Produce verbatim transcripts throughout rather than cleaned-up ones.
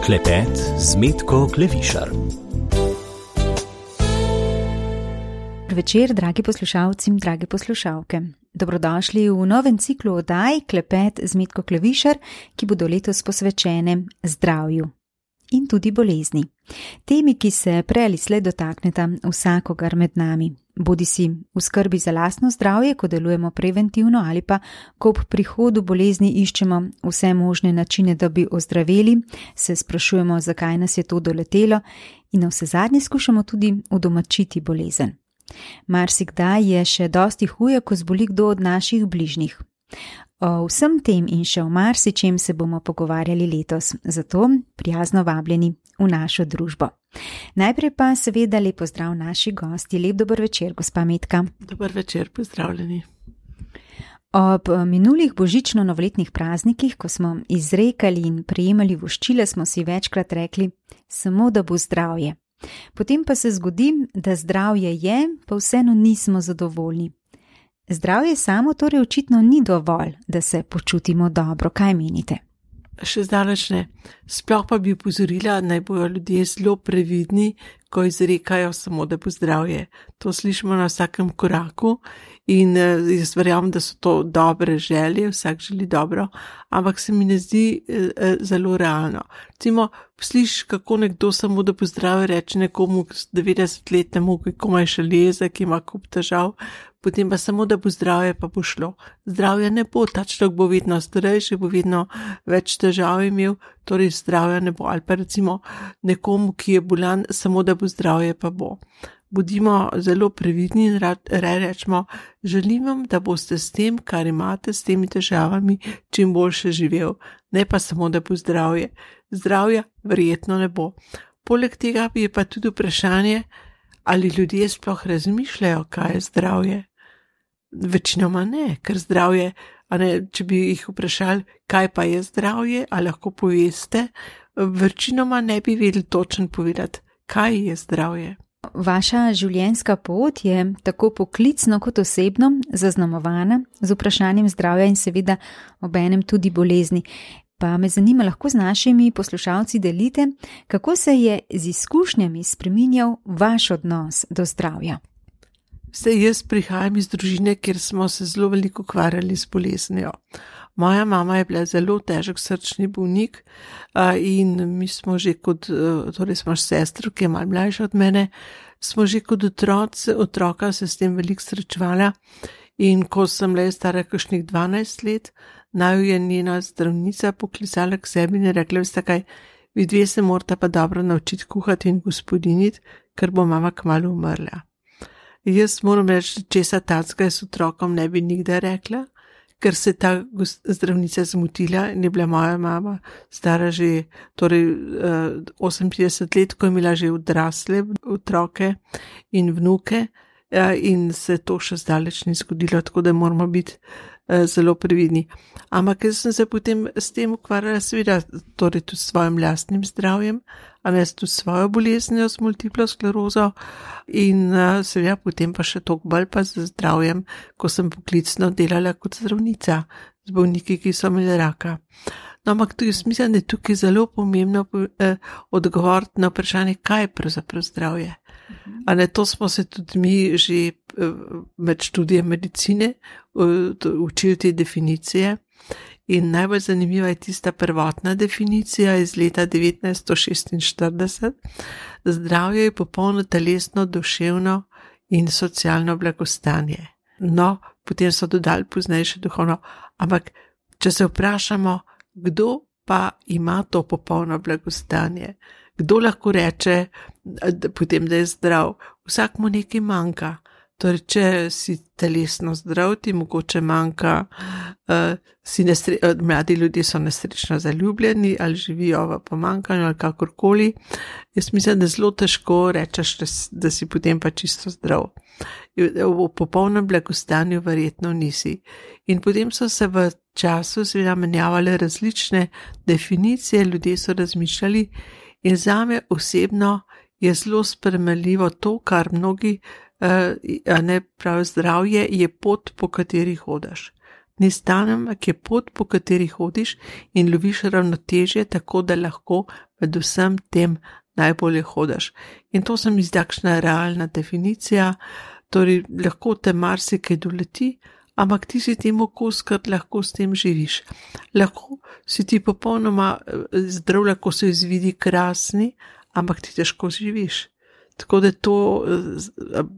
Klepet z Metko Klevišar. Večer, dragi poslušalci in drage poslušalke. Dobrodošli v novem ciklu oddaj Klepet z Metko Klevišar, ki bodo letos posvečene zdravju in tudi bolezni. Temi, ki se prej ali slej dotakneta vsakogar med nami. Bodi si v skrbi za lastno zdravje, ko delujemo preventivno, ali pa ko ob prihodu bolezni iščemo vse možne načine, da bi ozdraveli, se sprašujemo, zakaj nas je to doletelo in navsezadnje skušamo tudi udomačiti bolezen. Marsikdaj je še dosti huje, ko zboli kdo od naših bližnjih. O vsem tem in še o marsičem se bomo pogovarjali letos, zato prijazno vabljeni v našo družbo. Najprej pa seveda lep pozdrav naši gosti. Lep dober večer, gospa Metka. Dober večer, pozdravljeni. Ob minulih božično-novoletnih praznikih, ko smo izrekali in prejemali voščile, smo si večkrat rekli, samo da bo zdravje. Potem pa se zgodi, da zdravje je, pa vseeno nismo zadovoljni. Zdravje samo torej očitno ni dovolj, da se počutimo dobro. Kaj menite? Še zdaleč ne. Sploh pa bi upozorila, naj bojo ljudje zelo previdni, ko izrekajo samo, da bo zdravje. To slišimo na vsakem koraku in jaz verjamem, da so to dobre želje, vsak želi dobro, ampak se mi ne zdi eh, zelo realno. Recimo, slišiš, kako nekdo samo, da bo zdravje, reče nekomu devetdesetletnemu, ki komaj še leze, ki ima kup težav, potem pa samo, da bo zdravje, pa bo šlo. Zdravje ne bo, ta človek bo vedno starejši, bo vedno več težav imel, torej zdravja ne bo. Ali pa recimo nekomu, ki je bolan, samo da bo zdravje, pa bo. Bodimo zelo previdni in rečemo, želim vam, da boste s tem, kar imate, s temi težavami, čim boljše živel. Ne pa samo, da bo zdravje. Zdravja verjetno ne bo. Poleg tega je pa tudi vprašanje, ali ljudje sploh razmišljajo, kaj je zdravje. Večinoma ne, ker zdravje, a ne, če bi jih vprašali, kaj pa je zdravje, a lahko poveste, večinoma ne bi vedeli točno povedati, kaj je zdravje. Vaša življenjska pot je tako poklicno kot osebno zaznamovana z vprašanjem zdravja in seveda obenem tudi bolezni. Pa me zanima, lahko z našimi poslušalci delite, kako se je z izkušnjami spreminjal vaš odnos do zdravja. Vse jaz prihajam iz družine, kjer smo se zelo veliko ukvarjali s boleznijo. Moja mama je bila zelo težek srčni bolnik in mi smo že kot, torej smo sestro, ki je malo mlajša od mene, smo že kot otroci, otroka se s tem veliko srečevala in ko sem le stara kakšnih dvanajst let, naj je njena zdravnica poklicala k sebi in je rekla, veste kaj, vi dve se morata pa dobro naučiti kuhati in gospodiniti, ker bo mama kmalu umrla. Jaz moram reči, česa tacka s otrokom ne bi nikdar rekla, ker se ta zdravnica zmotila in je bila moja mama stara že torej osemintrideset let, ko je imela že odrasle otroke in vnuke in se to še zdaleč ni zgodilo, tako da moramo biti zelo previdni. Ampak jaz sem se potem s tem ukvarjala seveda torej tudi s svojim lastnim zdravjem, a ne tudi svojo boleznijo s multiplo sklerozo in seveda potem pa še toliko bolj pa z zdravjem, ko sem poklicno delala kot zdravnica z bolniki, ki so imeli raka. No, ampak tudi jaz mislim, da je tukaj zelo pomembno eh, odgovoriti na vprašanje, kaj je pravzaprav zdravje. A ne, to smo se tudi mi že eh, med študijem medicine uh, učili te definicije in najbolj zanimiva je tista prvotna definicija iz leta devetnajststo šestinštirideset. Zdravje je popolno telesno, duševno in socialno blagostanje. No, potem so dodali pozneje še duhovno, ampak če se vprašamo, kdo pa ima to popolno blagostanje? Kdo lahko reče, da, potem, da je zdrav? Vsak mu nekaj manjka. Torej, če si telesno zdrav, ti mogoče manjka, uh, si nesre, uh, mladi ljudje so nesrečno zaljubljeni ali živijo v pomanjkanju ali kakorkoli. Jaz mislim, da zelo težko rečeš, da, da si potem pa čisto zdrav. V popolnem blagostanju verjetno nisi. In potem so se v času seveda menjavale različne definicije, ljudje so razmišljali in zame osebno je zelo spremenljivo to, kar mnogi Uh, ne prav zdravje je pot, po kateri hodaš. Ni stanem, ampak je pot, po kateri hodiš in loviš ravnotežje, tako da lahko med vsem tem najbolje hodaš. In to se mi zdi takšna realna definicija, torej lahko te marsikaj doleti, ampak ti si temu kos, ker lahko s tem živiš. Lahko si ti popolnoma zdrav, lahko se izvidi krasni, ampak ti težko živiš. Tako da to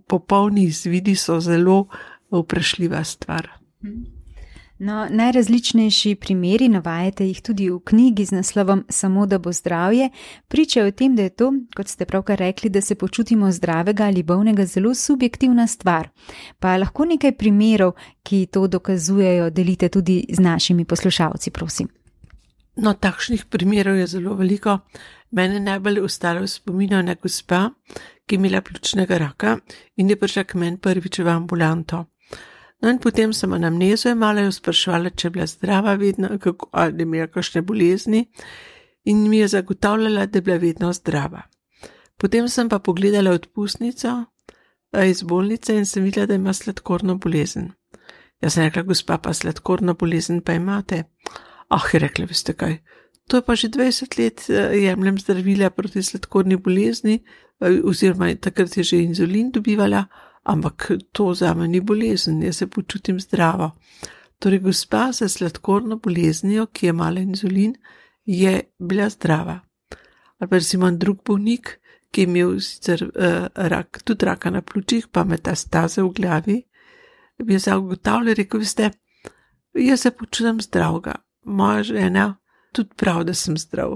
popolni izvidi so zelo vprašljiva stvar. No, najrazličnejši primeri, navajate jih tudi v knjigi z naslovom Samo da bo zdravje, pričajo o tem, da je to, kot ste pravkar rekli, da se počutimo zdravega ali bolnega, zelo subjektivna stvar. Pa lahko nekaj primerov, ki to dokazujejo, delite tudi z našimi poslušalci, prosim. No, takšnih primerov je zelo veliko. Mene najbolj ostalo v spominu na gospa, ki je imela pljučnega raka in je prišla k meni prvič v ambulanto. No in potem sem anamnezo imala, jo spraševala, če je bila zdrava vedno, kako, ali imela kakšne bolezni, in mi je zagotavljala, da je bila vedno zdrava. Potem sem pa pogledala odpustnico iz bolnice in sem videla, da ima sladkorno bolezen. Jaz sem rekla, gospa, pa sladkorno bolezen pa imate. Ah, je rekla, veste kaj, to je pa že dvajset let jemljem zdravila proti sladkorni bolezni, oziroma takrat je že inzulin dobivala, ampak to zame ni bolezen, jaz se počutim zdravo. Torej, gospa s sladkorno boleznijo, ki je imala inzulin, je bila zdrava. Ali pa recimo drug bolnik, ki je imel sicer uh, rak, tudi raka na pljučih, pa metastaze v glavi, bi je zagotavljal, rekel, veste, jaz se počutim zdravega. Moja žena tudi prav, da sem zdrav.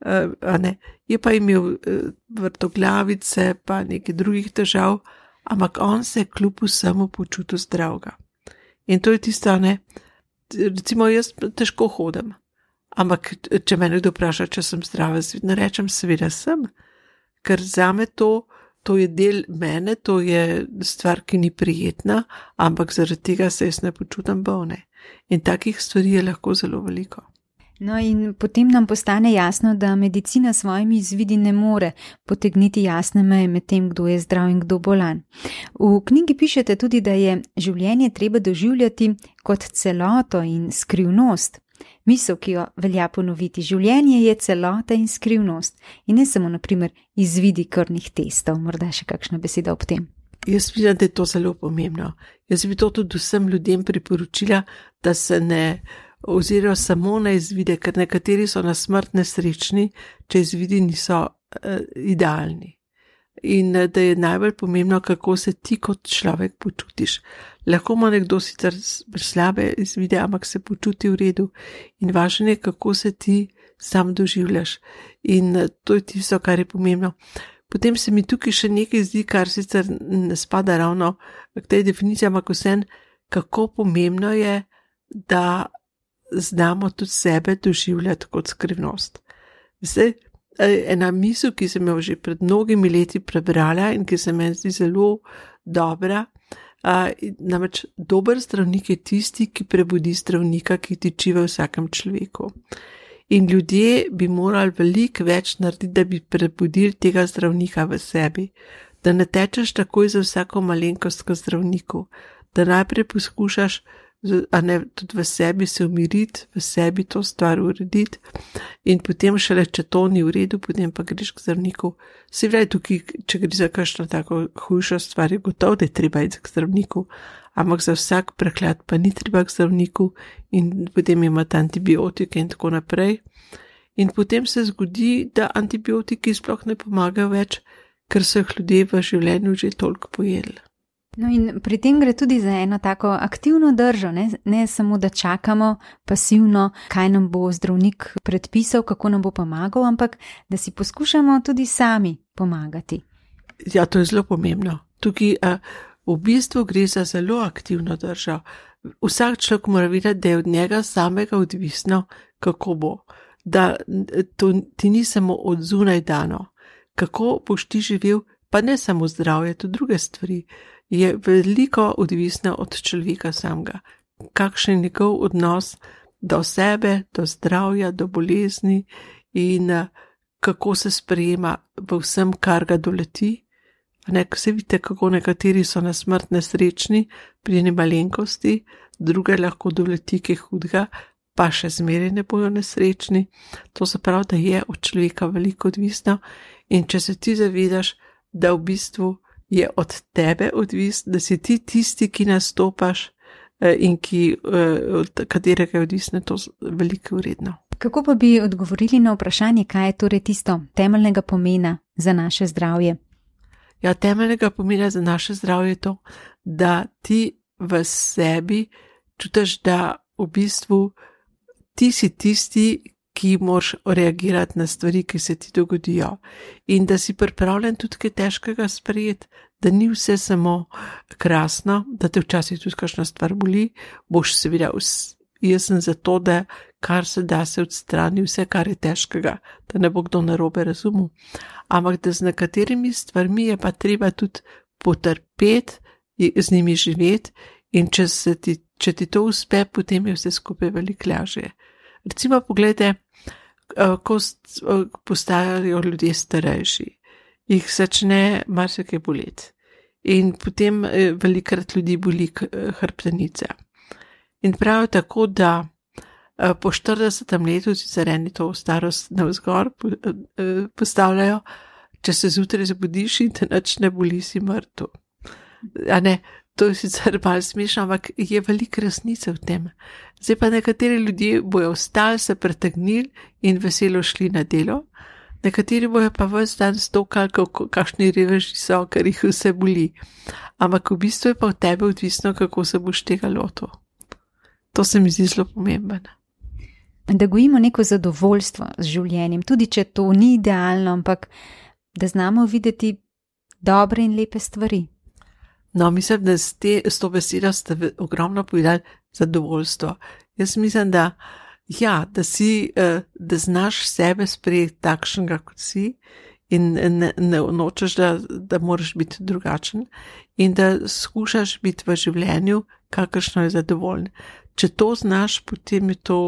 Uh, a ne, je pa imel uh, vrtoglavice, pa nekaj drugih težav, ampak on se je kljub vsemu počutil zdravega. In to je tisto, ne, recimo jaz težko hodim, ampak če me nekdo vpraša, če sem zdrava, ne rečem, seveda sem, ker zame to, to je del mene, to je stvar, ki ni prijetna, ampak zaradi tega se jaz ne počutim bolne. In takih stvari je lahko zelo veliko. No in potem nam postane jasno, da medicina s svojimi izvidi ne more potegniti jasne meje med tem, kdo je zdrav in kdo bolan. V knjigi pišete tudi, da je življenje treba doživljati kot celoto in skrivnost. Misel, ki jo velja ponoviti, življenje je celota in skrivnost in ne samo, na primer, izvidi krvnih testov. Morda še kakšna beseda ob tem. Jaz vidim, da je to zelo pomembno. Jaz bi to tudi vsem ljudem priporočila, da se ne ozirajo samo na izvide, ker nekateri so na smrt nesrečni, če izvidi niso uh, idealni. In uh, da je najbolj pomembno, kako se ti kot človek počutiš. Lahko ima nekdo sicer slabe izvide, ampak se počuti v redu. In važno je, kako se ti sam doživljaš. In uh, to je tisto, kar je pomembno. Potem se mi tukaj še nekaj zdi, kar sicer ne spada ravno k tej definiciji, ampak vsem, kako pomembno je, da znamo tudi sebe doživljati kot skrivnost. Zdaj, ena misel, ki sem jo že pred mnogimi leti prebrala in ki se meni zdi zelo dobra, namreč dober zdravnik je tisti, ki prebudi zdravnika, ki tiči v vsakem človeku. In ljudje bi morali veliko več narediti, da bi prebudili tega zdravnika v sebi, da ne tečeš takoj za vsako malenkost k zdravniku, da najprej poskušaš, a ne, tudi v sebi se umiriti, v sebi to stvar urediti in potem šele, če to ni v redu, potem pa greš k zdravniku. Se pravi, tukaj, če gre za kakšno tako hujšo stvar, je gotovo, da je treba iti k zdravniku, ampak za vsak preklad pa ni treba k zdravniku in potem imate antibiotike in tako naprej. In potem se zgodi, da antibiotiki sploh ne pomagajo več, ker so jih ljudje v življenju že toliko pojedli. No in pri tem gre tudi za eno tako aktivno držo, ne? Ne samo, da čakamo pasivno, kaj nam bo zdravnik predpisal, kako nam bo pomagal, ampak da si poskušamo tudi sami pomagati. Ja, to je zelo pomembno. Tukaj a, v bistvu gre za zelo aktivno držo. Vsak človek mora vedeti, da je od njega samega odvisno, kako bo. Da to ti ni samo od zunaj dano. Kako boš ti živel, pa ne samo zdravje, tudi druge stvari, je veliko odvisno od človeka samega. Kakšen je njegov odnos do sebe, do zdravja, do bolezni in kako se sprejema v vsem, kar ga doleti, Ne, ko se vidite, kako nekateri so na smrt nesrečni pri eni malenkosti, druge lahko doleti kaj hudega, pa še zmeraj ne bojo nesrečni. To se pravi, da je od človeka veliko odvisno in če se ti zavedaš, da v bistvu je od tebe odvisno, da si ti tisti, ki nastopaš in ki, od katerega je odvisno, to veliko vredno. Kako pa bi odgovorili na vprašanje, kaj je torej tisto temeljnega pomena za naše zdravje? Ja, temeljnega pomena za naše zdravje je to, da ti v sebi čutiš, da v bistvu ti si tisti, ki moraš reagirati na stvari, ki se ti dogodijo. In da si pripravljen tudi kaj težkega sprejeti, da ni vse samo krasno, da te včasih tudi kakšna stvar boli, boš seveda, jaz sem za to, da kar se da se odstrani vse, kar je težkega, da ne bo kdo narobe razumel. Ampak da z nekaterimi stvarmi je pa treba tudi potrpeti, z njimi živeti in če, se ti, če ti to uspe, potem je vse skupaj veliko lažje. Recimo pogledajte, ko postajajo ljudje starejši, jih začne marsikaj boleti in potem velikrat ljudi boli hrbtenica. In pravijo tako, da po štiridesetem letu, sicer eni to starost navzgor postavljajo, če se zjutraj zbudiš in te nič ne boli, si mrtev. A ne, to je sicer malo smešno, ampak je veliko resnice v tem. Zdaj pa nekateri ljudje bojo vstali, se pretegnili in veselo šli na delo, nekateri bojo pa ves dan stokali, kakšni reveži so, ker jih vse boli. Ampak v bistvu je pa v tebe odvisno, kako se boš tega lotil. To se mi zdi zelo pomembno. Da gojimo neko zadovoljstvo z življenjem, tudi če to ni idealno, ampak da znamo videti dobre in lepe stvari. No, mislim, da s, te, s to besedo ste ogromno povedali zadovoljstvo. Jaz mislim, da, ja, da, si, da znaš sebe sprejeti takšnega, kot si in ne, ne nočeš, da, da moraš biti drugačen in da skušaš biti v življenju, kakršno je zadovoljen. Če to znaš, potem je to,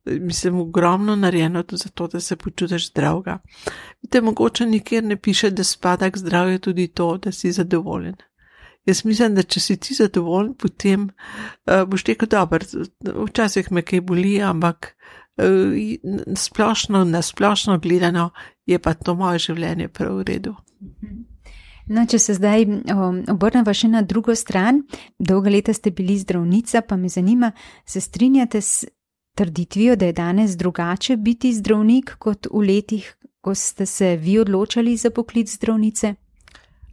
mislim, ogromno narejeno tudi zato, da se počutiš zdravega. Vidite, mogoče nikjer ne piše, da spada k zdravju tudi to, da si zadovoljen. Jaz mislim, da če si ti zadovoljen, potem uh, boš rekel, dober, včasih me kaj boli, ampak uh, splošno, na splošno gledano je pa to moje življenje prav v redu. No, če se zdaj um, obrneva še na drugo stran, dolga leta ste bili zdravnica, pa me zanima, se strinjate s trditvijo, da je danes drugače biti zdravnik kot v letih, ko ste se vi odločali za poklic zdravnice?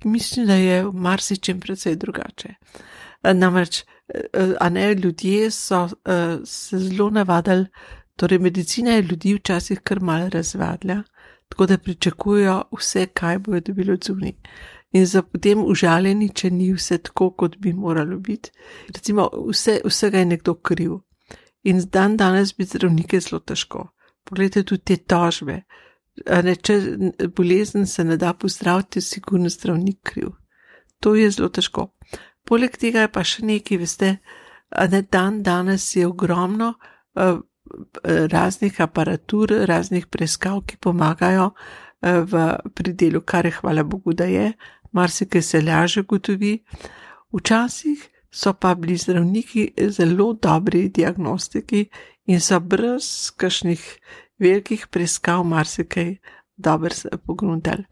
Mislim, da je v marsičem precej drugače. Namreč, a ne, ljudje so se zelo navadili, torej medicina je ljudi včasih kar malo razvadila, tako da pričakujejo vse, kaj bojo dobili od zunaj. In so potem užaljeni, če ni vse tako, kot bi moralo biti. Recimo, vse, vsega je nekdo kriv. In dan danes biti zdravnik je zelo težko. Poglejte tudi te tožbe. Ne, če bolezen se ne da pozdraviti, je sigurno zdravnik kriv. To je zelo težko. Poleg tega je pa še nekaj, veste, ne, dan danes je ogromno uh, raznih aparatur, raznih preiskav, ki pomagajo uh, v pridelu, kar je hvala Bogu, da je, marsikaj se lažje gotovi. Včasih so pa bili zdravniki zelo dobri diagnostiki in so brez kakšnih velikih preiskav marsikaj dobro pogruntali.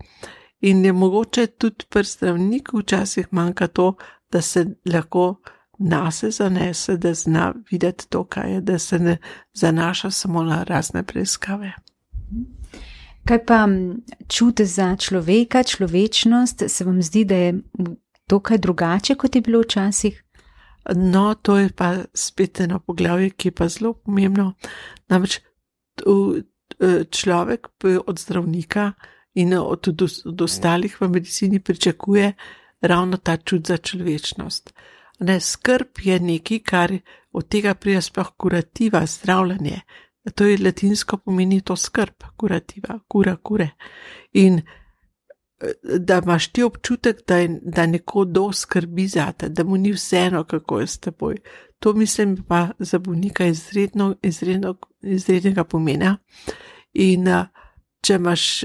In je mogoče tudi pri zdravniku včasih manjka to, da se lahko nase zanese, da zna videti to, kaj je, da se ne zanaša samo na razne preiskave. Kaj pa čut za človeka, človečnost, se vam zdi, da je to kaj drugače, kot je bilo včasih? No, to je pa spet eno poglavje, ki je pa zelo pomembno. Namreč človek od zdravnika in od, od, od ostalih v medicini pričakuje ravno ta čut za človečnost. Ne, skrb je nekaj, kar od tega prija sploh kurativa, zdravljanje. To je latinsko pomeni to skrb, kurativa, kura, kure. In da imaš ti občutek, da, je, da neko do skrbi zate, da mu ni vseeno, kako je s teboj. To mislim pa za bolnika izredno, izredno, izrednega pomena. In če, imaš,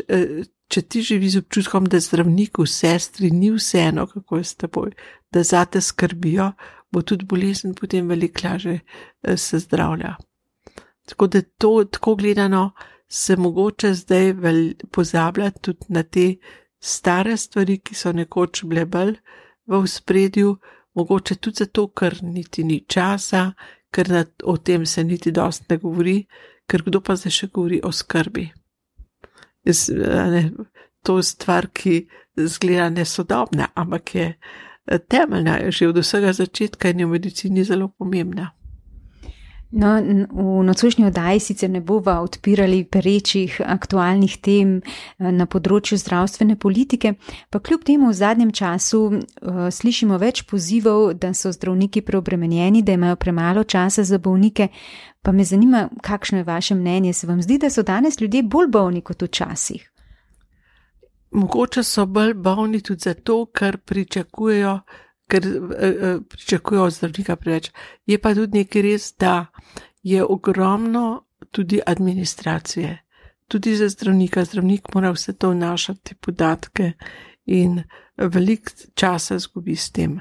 če ti živi z občutkom, da zdravniku, sestri ni vseeno, kako je s teboj, da zate skrbijo, bo tudi bolezen potem veliko lažje se zdravlja. Tako da to, tako gledano, se mogoče zdaj pozabljati tudi na te stare stvari, ki so nekoč bile bolj v ospredju, mogoče tudi zato, ker niti ni časa, ker na, o tem se niti dosti ne govori, ker kdo pa zdaj še govori o skrbi. Jaz, ne, to je stvar, ki zgleda nesodobna, ampak je temeljna, že od vsega začetka in je v medicini zelo pomembna. No, v nocojšnji oddaji sicer ne bova odpirali perečih aktualnih tem na področju zdravstvene politike, pa kljub temu v zadnjem času uh, slišimo več pozivov, da so zdravniki preobremenjeni, da imajo premalo časa za bolnike, pa me zanima, kakšno je vaše mnenje, se vam zdi, da so danes ljudje bolj bolni kot včasih? Mogoče so bolj bolni tudi zato, ker pričakujejo ker eh, pričakujejo od zdravnika preveč. Je pa tudi nekaj res, da je ogromno tudi administracije. Tudi za zdravnika. Zdravnik mora vse to vnašati podatke in veliko časa zgubi s tem.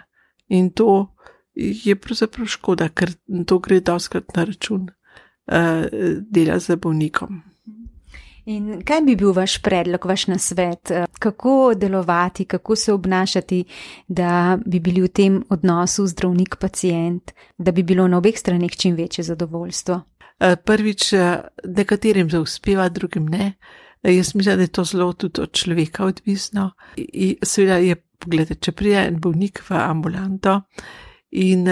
In to je pravzaprav škoda, ker to gre dostikrat na račun eh, dela z bolnikom. In kaj bi bil vaš predlog, vaš nasvet, kako delovati, kako se obnašati, da bi bili v tem odnosu zdravnik-pacient, da bi bilo na obeh straneh čim večje zadovoljstvo? Prvič, nekaterim se uspeva, drugim ne. Jaz mislim, da je to zelo tudi od človeka odvisno. In seveda je, pogledajte, če pride en bolnik v ambulanto in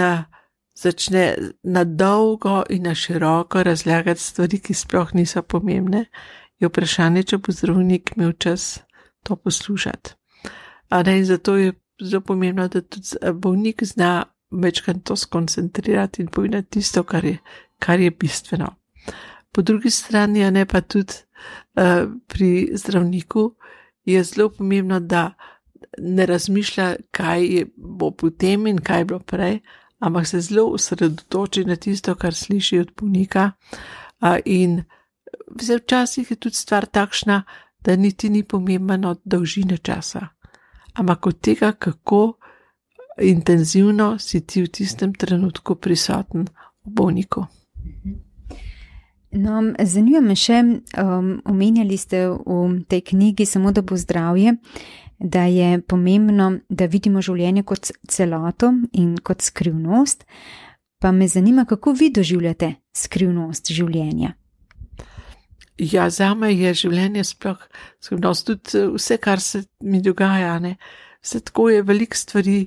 začne na dolgo in na široko razlagati stvari, ki sploh niso pomembne, je vprašanje, če bo zdravnik imel čas to poslušati. A ne, in zato je zelo pomembno, da tudi bolnik zna večkrat to skoncentrirati in povedati tisto, kar je, kar je bistveno. Po drugi strani, a ne pa tudi uh, pri zdravniku, je zelo pomembno, da ne razmišlja, kaj je, bo potem in kaj je bilo prej, ampak se zelo osredotoči na tisto, kar sliši od bolnika uh, in včasih je tudi stvar takšna, da niti ni pomembno od dolžine časa, ampak od tega, kako intenzivno si ti v tistem trenutku prisoten v bolniku. No, zanima me še, um, omenjali ste v tej knjigi Samo da bo zdravje, da je pomembno, da vidimo življenje kot celoto in kot skrivnost, pa me zanima, kako vi doživljate skrivnost življenja. Ja, zame je življenje sploh skrivnost, tudi vse, kar se mi dogaja, ne. Vse tako je, veliko stvari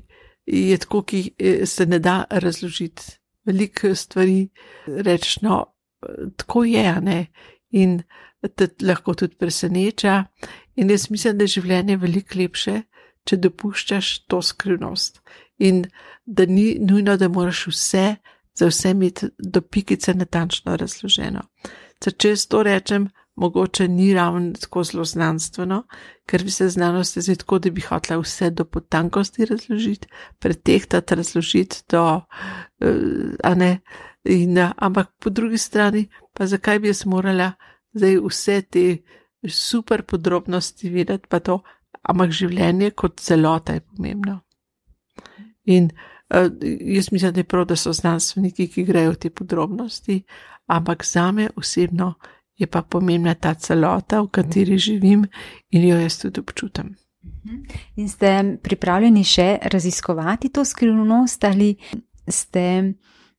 je tako, ki se ne da razložiti. Veliko stvari reč, no, tako je, ne, in te lahko tudi preseneča. In jaz mislim, da je življenje veliko lepše, če dopuščaš to skrivnost. In da ni nujno, da moraš vse, za vse imeti do pikice natančno razloženo. Če jaz to rečem, mogoče ni ravno tako zelo znanstveno, ker bi se znanost zdaj tako, da bi hotela vse do potankosti razložiti, pretehtati, razložiti do, a ne, in, ampak po drugi strani, pa zakaj bi jaz morala zdaj vse te super podrobnosti vedeti, pa to, ampak življenje kot celota je pomembno. In uh, jaz mislim, da je prav, da so znanstveniki, ki grejo v te podrobnosti, ampak zame osebno je pa pomembna ta celota, v kateri živim in jo jaz tudi občutam. In ste pripravljeni še raziskovati to skrivnost ali ste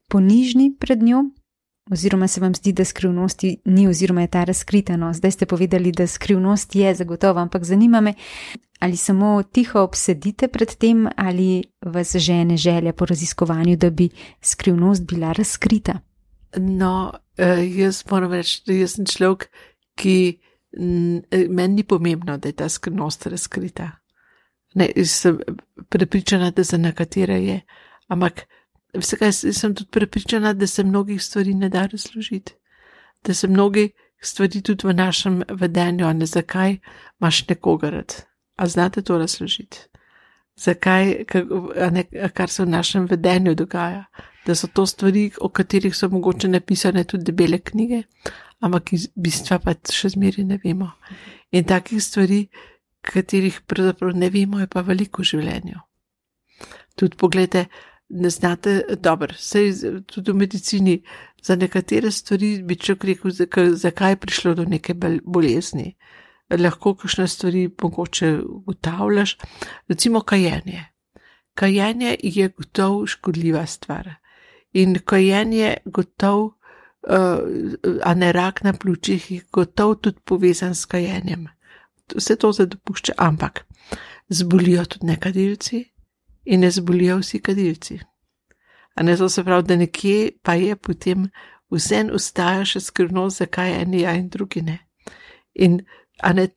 ponižni pred njo? Oziroma se vam zdi, da skrivnosti ni oziroma je ta razkrita? No, zdaj ste povedali, da skrivnost je zagotovo, ampak zanima me, ali samo tiho obsedite pred tem ali vas žene želja po raziskovanju, da bi skrivnost bila razkrita? No, jaz moram reči, da jaz sem človek, ki meni ni pomembno, da je ta skrivnost razkrita. Ne, sem prepričana, da za nekatere je, ampak vsega sem tudi prepričana, da se mnogih stvari ne da razložiti. Da se mnogih stvari tudi v našem vedenju, a ne zakaj imaš nekoga rad. A znate to razložiti? Zakaj, a ne, kar se v našem vedenju dogaja? Da so to stvari, o katerih so mogoče napisane tudi debele knjige, ampak iz bistva pa še zmeri ne vemo. In takih stvari katerih pravzaprav ne vemo, je pa veliko v življenju. Tudi pogledajte, ne znate, dobro, sej tudi v medicini, za nekatere stvari bi človek rekel, zakaj je prišlo do neke bolezni. Lahko kakšne stvari mogoče ugotavljaš, recimo kajenje. Kajenje je gotov škodljiva stvar in kajenje gotov, uh, a ne rak na pljučih, je gotov tudi povezan s kajenjem. Vse to se dopušča, ampak zbolijo tudi nekadilci in ne zbolijo vsi kadilci. A ne, to se pravi, da nekje pa je potem vsem ustaja še skrivnost, zakaj eni ja in drugi ne. In a ne,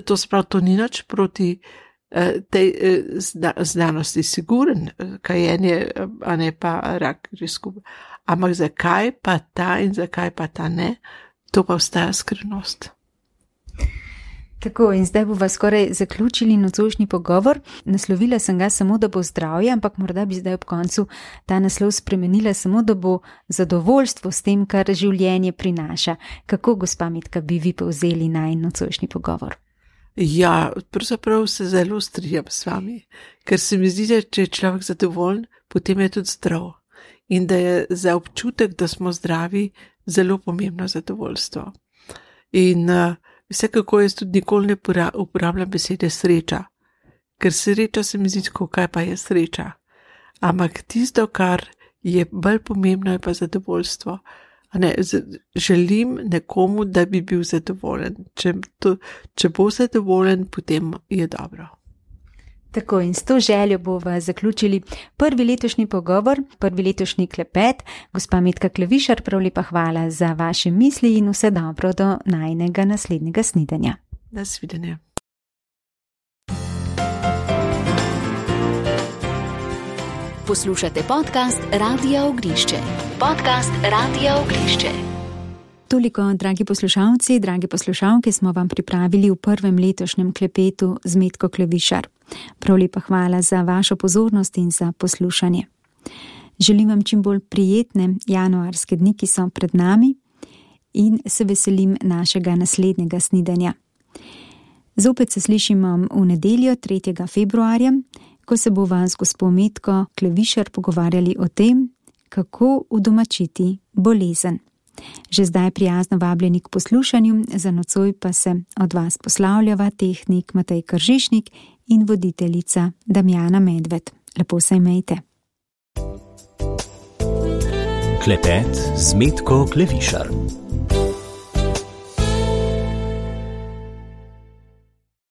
to se pravi, to ni nič proti uh, tej uh, zna, znanosti, siguren, kajenje, a ne pa rak risku. Ampak zakaj pa ta in zakaj pa ta ne, to pa ostaja skrivnost. Tako, in zdaj bova skoraj zaključili nocojšnji pogovor. Naslovila sem ga samo, da bo zdravje, ampak morda bi zdaj ob koncu ta naslov spremenila samo, da bo zadovoljstvo s tem, kar življenje prinaša. Kako, gospa Metka, bi vi povzeli najin nocojšnji pogovor? Ja, pravzaprav se zelo strinjam s vami, ker se mi zdi, da če je človek zadovoljen, potem je tudi zdrav. In da je za občutek, da smo zdravi, zelo pomembno zadovoljstvo. In uh, vsekako jaz tudi nikoli ne uporabljam besede sreča, ker sreča se mi zdi, kaj pa je sreča. Ampak tisto, kar je bolj pomembno, je pa zadovoljstvo. Ne, želim nekomu, da bi bil zadovoljen. Če, to, če bo zadovoljen, potem je dobro. Tako, in s to željo bova zaključili prvi letošnji pogovor, prvi letošnji klepet. Gospa Metka Klevišar, prav lepa hvala za vaše misli in vse dobro do najinega naslednjega snidenja. Nasvidenje. Poslušate podcast Radia Ognišče. Podcast Radia Ognišče. Toliko, dragi poslušalci, dragi poslušalke, smo vam pripravili v prvem letošnjem klepetu z Metko Klevišar. Prav lepa hvala za vašo pozornost in za poslušanje. Želim vam čim bolj prijetne januarske dni, ki so pred nami, in se veselim našega naslednjega snidenja. Zopet se slišimo v nedeljo tretjega februarja, ko se bova z gospo Metko Klevišar pogovarjali o tem, kako udomačiti bolezen. Že zdaj prijazno vabljeni k poslušanju, za nocoj pa se od vas poslavljava tehnik Matej Kržišnik in voditeljica Damjana Medved. Lepo se imejte. Klepet z Metko Klevišar.